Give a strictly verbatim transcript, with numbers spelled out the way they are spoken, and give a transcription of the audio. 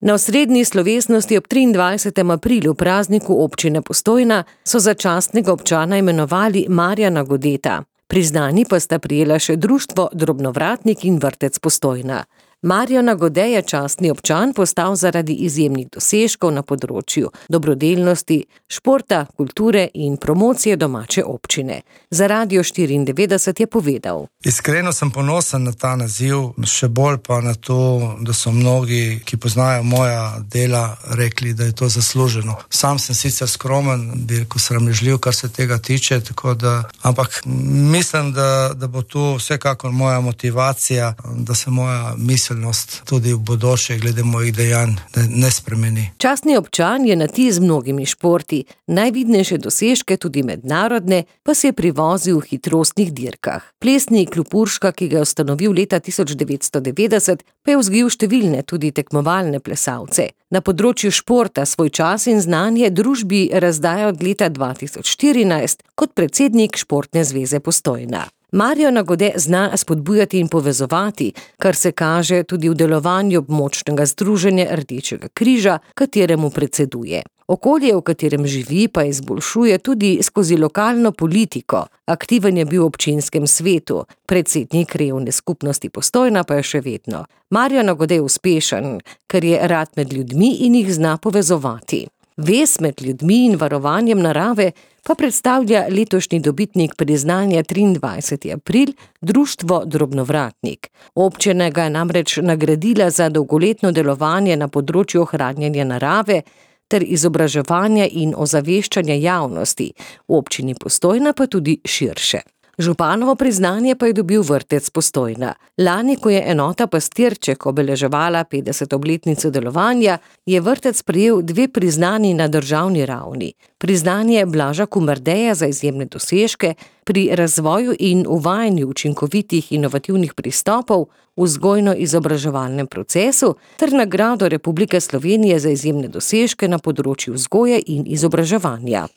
Na osrednji slovesnosti ob triindvajsetem aprilu, prazniku občine Postojna, so za častnega občana imenovali Marjana Godeta. Priznanji pa sta prejela še Društvo Drobnovratnik in Vrtec Postojna. Marjana Gode je častni občan postal zaradi izjemnih dosežkov na področju dobrodelnosti, športa, kulture in promocije domače občine. Za Radio štiriindevetdeset je povedal: Iskreno sem ponosen na ta naziv, še bolj pa na to, da so mnogi, ki poznajo moja dela, rekli, da je to zasluženo. Sam sem sicer skromen, bi rekel sramežljiv, kar se tega tiče, tako da, ampak mislim, da, da bo to vsekakor moja motivacija, da se moja misel tudi v bodoče glede mojih dejanj ne spremeni. Častni občan je na ti z mnogimi športi, najvidnejše dosežke, tudi mednarodne, pa se je privozil v hitrostnih dirkah. Plesni klub Urška, ki ga je ustanovil leta tisoč devetsto devetdeset, pa je vzgojil številne tudi tekmovalne plesalce. Na področju športa svoj čas in znanje družbi razdaja od leta dva tisoč štirinajst kot predsednik Športne zveze Postojna. Marjana Gode zna spodbujati in povezovati, kar se kaže tudi v delovanju območnega združenja Rdečega križa, kateremu predseduje. Okolje, v katerem živi, pa izboljšuje tudi skozi lokalno politiko. Aktiven je bil v občinskem svetu, predsednik Krajevne skupnosti Postojna pa je še vedno. Marjana Gode je uspešen, ker je rad med ljudmi in jih zna povezovati. Vez med ljudmi in varovanjem narave pa predstavlja letošnji dobitnik priznanja triindvajseti april, Društvo Drobnovratnik. Občina ga je namreč nagradila za dolgoletno delovanje na področju ohranjanja narave ter izobraževanja in ozaveščanja javnosti, v občini Postojna pa tudi širše. Županovo priznanje pa je dobil Vrtec Postojna. Lani, ko je enota Pastirček obeleževala petdeseto obletnico delovanja, je vrtec prejel dve priznanji na državni ravni. Priznanje Blaža Kumardeja za izjemne dosežke pri razvoju in uvajanju učinkovitih inovativnih pristopov v vzgojno-izobraževalnem procesu ter nagrado Republike Slovenije za izjemne dosežke na področju vzgoje in izobraževanja.